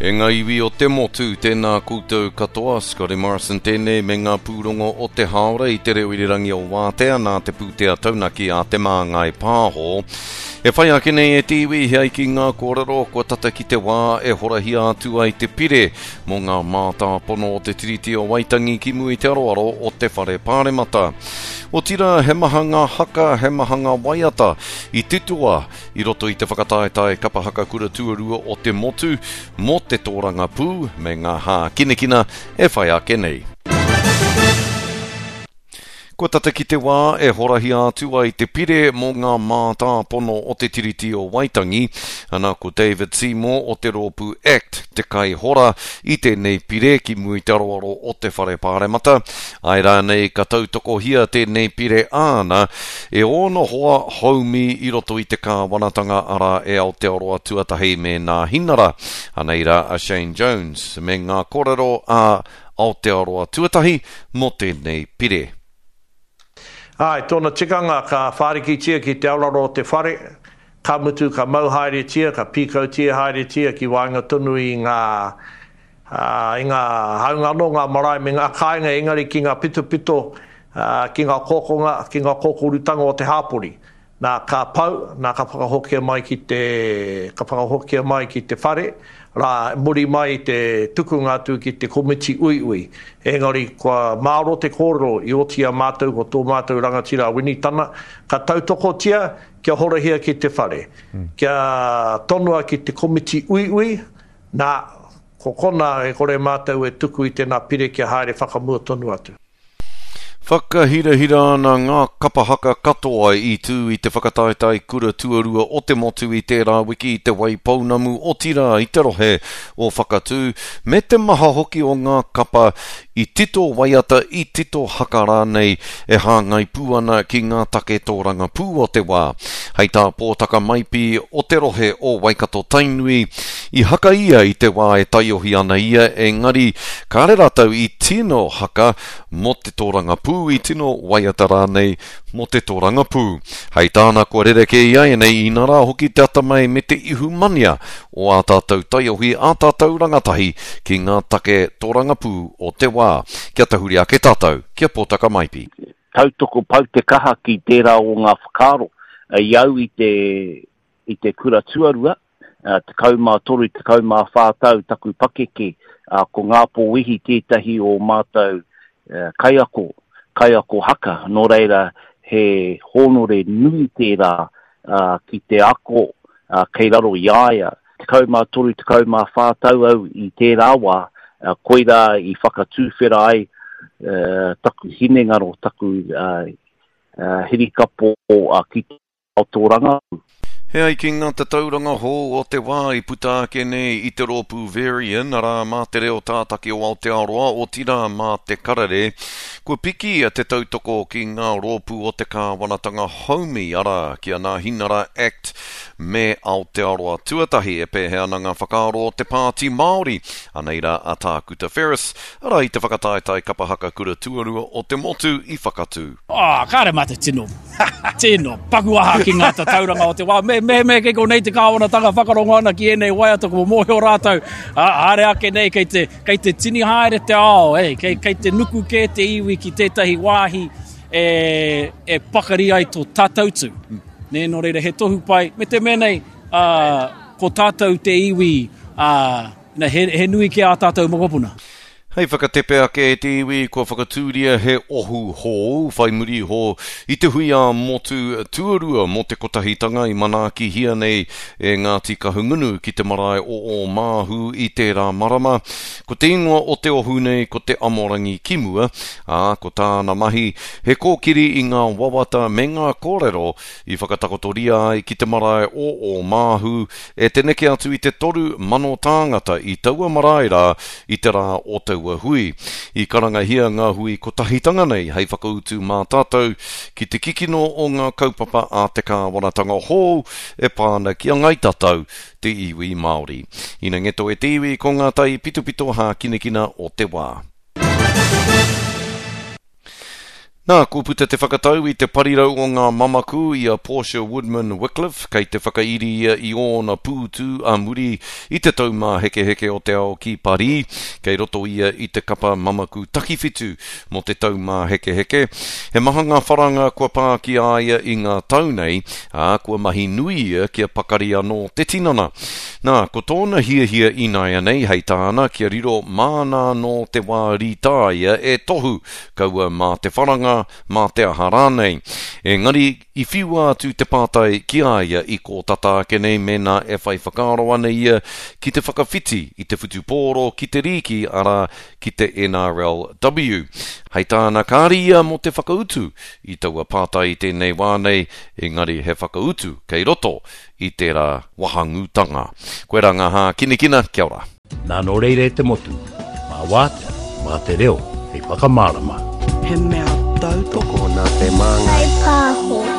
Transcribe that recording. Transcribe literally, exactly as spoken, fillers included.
E ngā iwi o te motu, tēnā koutou katoa, Scotty Morrison tēnei me ngā pūrongo o te hāora i te reo irirangi o Wātea nā te pūtea taunaki a Te Māngai Pāho. E whai ake nei e te iwi he ai ki ngā kōrero kua tata ki te wā e horahia atu ai te pire mō ngā mātāpono o te Tiriti o Waitangi ki mua i te aroaro o te Whare Pāremata. Otirā, he maha ngā haka, he maha ngā waiata i titoa i roto i te whakataetae kapa haka kura tuarua o te motu mō te tōrangapū me ngā hākinakina e whai ake nei. Kua tata ki te wā e horahia atu ai te pire mō ngā mātāpono o te Tiriti o Waitangi, ana ko David Seymour o te rōpū ACT te kaihora i tēnei pire ki mua i te aroaro o te Whare Pāremata. Āe rānei ka tautokohia tēnei pire āna e ōna hoa haumi i roto i te kāwanatanga arā e Aotearoa Tuatahi me Nāhinara. Anei rā a Shane Jones me ngā kōrero a Aotearoa Tuatahi mō tēnei pire. Āe, tōna tikanga ka whārikitia ki te aroaro o te whare, ka mutu ka mau haeretia, ka pīkautia haeretia ki waenga tonu i ngā, i ngā, hāunga anō ngā marae me ngā kāinga, engari ki ngā pitopito, ki ngā kōkonga, ki ngā kōkorutanga o te hāpori. Nā, ka pau, nā, ka whakahokia mai ki te, ka whakahokia mai ki te whare, rā, muri mai i te tukunga atu ki te komiti uiui. Engari, kua māro te kōrero i oti i a mātou ko tō mātou rangatira a Winitana, ka tautokotia kia horahia ki te whare, kia tonoa ki te komiti uiui, nā, ko kona e kore mātou e tuku i tēnā pire kia haere whakamua tonu atu. Whakahirahira ana ngā kapa haka katoa i tū i te whakataetae kura tuarua o te motu i tērā wiki i Te Waipounamu, otirā i te rohe o Whakatū, me te maha hoki o ngā kapa i tito waiata, i tito haka rānei e hāngai pū ana ki ngā take tōrangapū o te wā. Hei tā Pōtaka Maipi o te rohe o Waikato-Tainui, i haka ia i te wā e taiohi ana ia, engari kāre rātou i tino haka mō te tōrangapū, i tino waiata rānei mō te tōrangapū. Hei tāna kua rerekē ināianei inarā hoki te atamai me te ihumania o ā tātou taiohi, ā tātou rangatahi ki ngā take tōrangapū o te wā. Kia tahuri ake tātou, kia Pōtaka Maipi. Tautoko pau te kaha ki tērā o ngā whakaaro i au i te, i te kura tuarua, tekau mā toru, tekau mā whā tau taku pakeke, ko Ngāpō Wehi tētahi o mātou kaiako, kaiako haka, nō reira he hōnore nui tērā ki te ako kei raro i a ia. Tekau mā toru, tekau mā whā tau au i tērā wā, koirā i whakatūwhera ai taku hinengaro, taku hirikapo ki te ao tōrangapū. He ai ki ngā tatauranga hou o te wā i puta ake nei i te rōpū Verian, arā mā te reo tātaki o Aotearoa, otirā mā te karere, kua piki te tautoko ki ngā rōpū o te kāwanatanga haumi, arā, ki a Nāhinara Act me Aotearoa Tuatahi. E pēhea ana ngā whakaaro o te Pāti Māori? Anei rā a Tākuta Ferris, arā i te whakataetae kapa haka kura tuarua o te motu i Whakatū. Oh, kāre mā te tino, tino paku aha ki ngā tatauranga o te wā. Me, me, me kei konei te kāwanatanga whakarongo ana ki ēnei waiata kua mōhio rātou, ā, haere ake nei kei te, kei te tini haere te ao, eh, kei, kei te nuku kē te iwi ki tētahi wāhi e, e pakari ai tō tātou tū. Nē, nō reira, he tohu pai, me te mea nei, ā, ko tātou te iwi, ā, na, he, he nui ki ā tātou mokopuna. Hei whakatepe ake e te iwi kua whakatūria he ohu hou whai muri iho i te hui ā-motu tuarua mō te kotahitanga i manaakihia nei e Ngāti Kahungunu ki te marae o Ōmāhu i tērā marama. Ko te ingoa o te ohu nei ko te Amorangi ki mua, ā, ko tāna mahi he kōkiri i ngā wawata me ngā kōrero i whakatakotoria ai ki te marae o Ōmāhu e te neke atu i te toru mano tāngata i taua marae rā i te rā o taua hui. I karangahia ngā hui kotahitanga nei hei whakautu mā tātou ki te kikino o ngā kaupapa a te kāwanatanga hou e pā ana ki a Ngāi Tatau, te iwi Māori. Ina ngeto e te iwi ko ngā tai pitopito hākinakina o te wā. Nā, kua puta te whakatau i te parirau o ngā mamaku i a Portia Woodman Wickliffe, kei te whakairi ia i ōna pūtu a muri i te Taumāhekeheke o te Ao ki Parī. Kei roto ia i te kapa mamaku takiwhitu mō te Taumāhekeheke. He maha ngā wharanga kua pā ki a ia i ngā tau nei, ā, kua mahi nui ia kia pakari anō te tinana. Nā, ko tōna hiahia ināianei, hei tāna, kia riro māna anō te wā rītāia e tohu, kaua mā te wharanga, mā te aha rānei. Engari, i whiua atu te pātai ki a ia i kō tata ake nei mēnā e whai whakaaro ana ia ki te whakawhiti i te whutupōro ki te rīki, arā, ki te N R L W. Hei tāna, kāre ia mō te whakautu i taua pātai i tēnei wā nei, engari he whakautu kei roto i tērā wahangūtanga. Koe rā ngā hākinakina, kia ora. Nā nō reira e te motu, mā wātea, mā te reo, hei whakamārama. He mea tautoko nā te māngai. Whai pāho.